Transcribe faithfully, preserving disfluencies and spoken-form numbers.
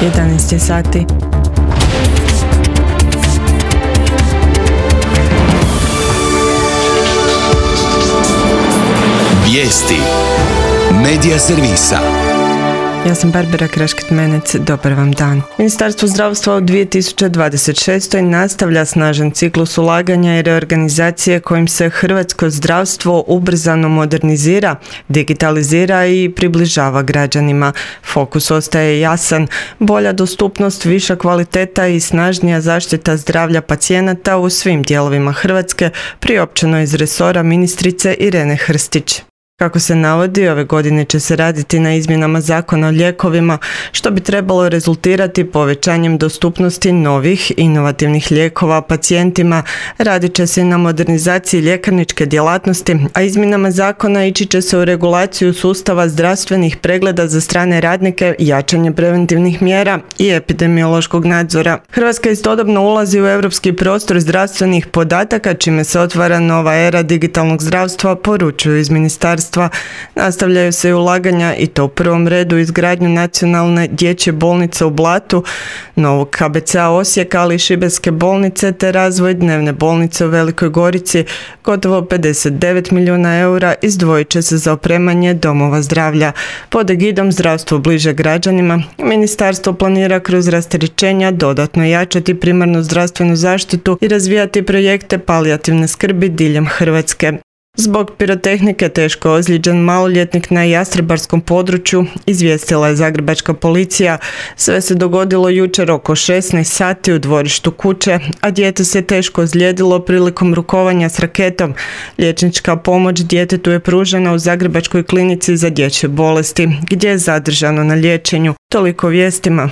jedanaest je sati. Vijesti Medija servisa. Ja sam Barbara Kraškit-Menec, dobar vam dan. Ministarstvo zdravstva u dvije tisuće dvadeset šestoj nastavlja snažan ciklus ulaganja i reorganizacije kojim se hrvatsko zdravstvo ubrzano modernizira, digitalizira i približava građanima. Fokus ostaje jasan, bolja dostupnost, viša kvaliteta i snažnija zaštita zdravlja pacijenata u svim dijelovima Hrvatske, priopćeno iz resora ministrice Irene Hrstić. Kako se navodi, ove godine će se raditi na izmjenama Zakona o lijekovima, što bi trebalo rezultirati povećanjem dostupnosti novih, inovativnih lijekova pacijentima. Radit će se i na modernizaciji ljekarničke djelatnosti, a izmjenama zakona ići će se u regulaciju sustava zdravstvenih pregleda za strane radnike, jačanje preventivnih mjera i epidemiološkog nadzora. Hrvatska istodobno ulazi u europski prostor zdravstvenih podataka, čime se otvara nova era digitalnog zdravstva, poručuju iz ministarstva. Nastavljaju se i ulaganja i to u prvom redu izgradnju nacionalne dječje bolnice u Blatu, novog K B C-a Osijeka, ali i šibenske bolnice te razvoj dnevne bolnice u Velikoj Gorici. Gotovo pedeset devet milijuna eura izdvojit će se za opremanje domova zdravlja. Pod egidom zdravstvo bliže građanima, ministarstvo planira kroz rasterećenja dodatno jačati primarnu zdravstvenu zaštitu i razvijati projekte palijativne skrbi diljem Hrvatske. Zbog pirotehnike teško ozlijeđen maloljetnik na Jastrebarskom području, izvijestila je zagrebačka policija. Sve se dogodilo jučer oko šesnaest sati u dvorištu kuće, a dijete se teško ozlijedilo prilikom rukovanja s raketom. Liječnička pomoć djetetu je pružena u Zagrebačkoj klinici za dječje bolesti, gdje je zadržano na liječenju. Toliko vijestima.